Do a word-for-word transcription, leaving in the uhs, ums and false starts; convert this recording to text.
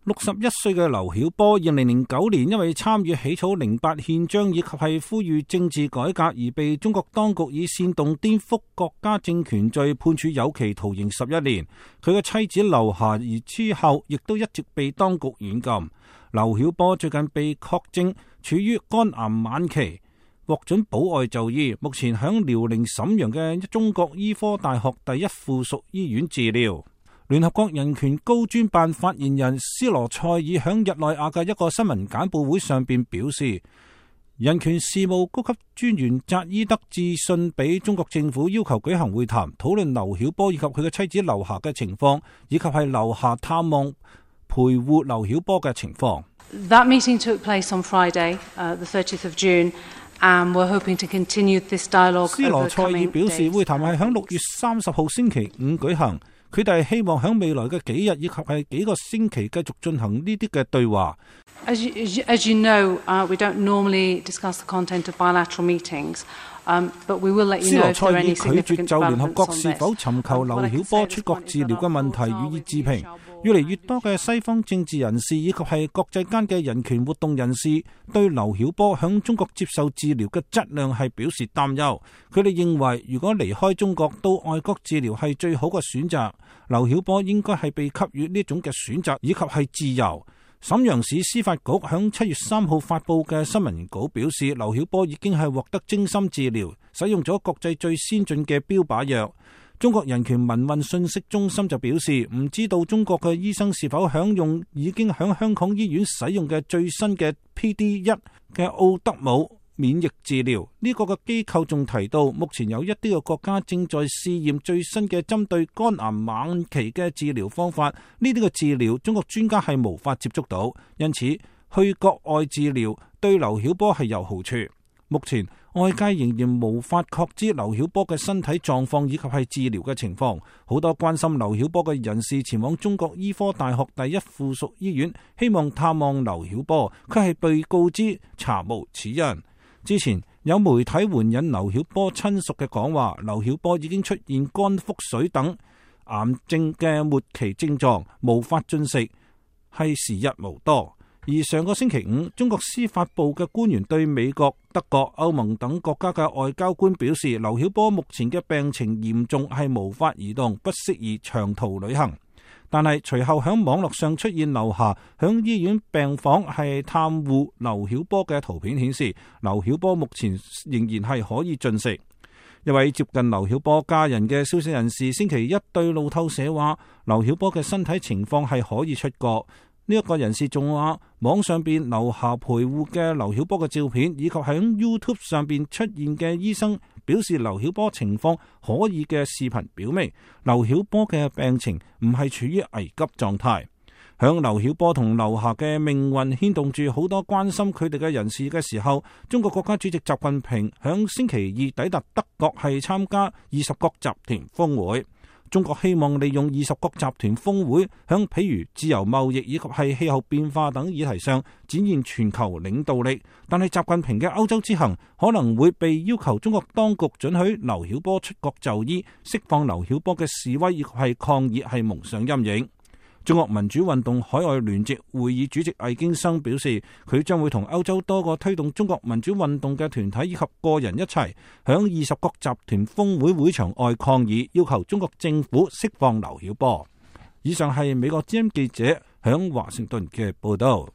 六十一歲嘅劉曉波，二零零九年因為參與起草零八憲章以及係呼籲政治改革而被中國當局以煽動顛覆國家政權罪判處有期徒刑十一年。佢嘅妻子劉霞而之後亦都一直被當局軟禁。劉曉波最近被確證處於肝癌晚期，獲准保外就醫，目前響遼寧瀋陽嘅中國醫科大學第一附屬醫院治療。聯合國人權高專辦發言人斯羅塞爾響日內瓦嘅一個新聞簡報會上邊表示，人權事務高級專員扎伊德致信俾中國政府，要求舉行會談，討論劉曉波以及佢嘅妻子劉霞嘅情況，以及係劉霞探望陪護劉曉波嘅情況。That meeting took place on Friday, uh, the thirtieth of June, and we're hoping to continue this dialogue. 斯羅塞爾表示，會談係響六月三十號星期五舉行。佢哋係希望喺未來嘅幾日以及係幾個星期繼續進行呢啲嘅對話。As you, as you know, uh, we don't normally discuss the content of bilateral meetings, um, but we will let you know if there are any significant developments on this. 斯羅塞爾拒絕就聯合國是否尋求劉曉波出國治療嘅問題予以置評。越嚟越多嘅西方政治人士以及係國際間嘅人權活動人士對劉曉波響中國接受治療嘅質量係表示擔憂。佢哋認為，如果離開中國到外國治療係最好嘅選擇，劉曉波應該係被給予呢種嘅選擇以及係自由。瀋陽市司法局響七月三號發布嘅新聞稿表示，劉曉波已經係獲得精心治療，使用咗國際最先進嘅標靶藥。中國人權民運信息中心就表示，唔知道中國嘅醫生是否享用已經響香港醫院使用嘅最新嘅 P D 一 嘅奧德姆免疫治療。呢個嘅機構仲提到，目前有一啲嘅國家正在試驗最新嘅針對肝癌晚期嘅治療方法。呢啲嘅治療中國專家係無法接觸到，因此去國外治療對劉曉波係有好處。目前外界仍然無法確知劉曉波嘅身體狀況以及係治療嘅情況。好多關心劉曉波嘅人士前往中國醫科大學第一附屬醫院，希望探望劉曉波，佢係被告知查無此因。之前有媒體援引劉曉波親屬嘅講話，劉曉波已經出現肝腹水等癌症嘅末期症狀，無法進食，係時日無多。而上個星期五，中國司法部嘅官員對美國、德國、歐盟等國家嘅外交官表示，劉曉波目前嘅病情嚴重，係無法移動，不適宜長途旅行。但係隨後喺網絡上出現劉霞響醫院病房係探護劉曉波嘅圖片，顯示劉曉波目前仍然係可以進食。一位接近劉曉波家人嘅消息人士星期一對路透社話，劉曉波嘅身體情況係可以出國。呢一個人士仲話，網上邊劉霞陪護嘅劉曉波嘅照片，以及喺 YouTube 上邊出現嘅醫生表示劉曉波情況可以嘅視頻，表明劉曉波嘅病情唔係處於危急狀態。響劉曉波同劉霞嘅命運牽動住好多關心佢哋嘅人士嘅時候，中國國家主席習近平響星期二抵達德國，係參加二十國集團峰會。中國希望利用二十國集團峰會，響譬如自由貿易以及係氣候變化等議題上展現全球領導力。但係習近平嘅歐洲之行可能會被要求中國當局准許劉曉波出國就醫，釋放劉曉波嘅示威以及係抗議係蒙上陰影。中國民主運動海外聯席會議主席魏京生表示，佢將會同歐洲多個推動中國民主運動嘅團體以及個人一齊響二十國集團峰會會場外抗議，要求中國政府釋放劉曉波。以上係美國之音記者響華盛頓嘅報道。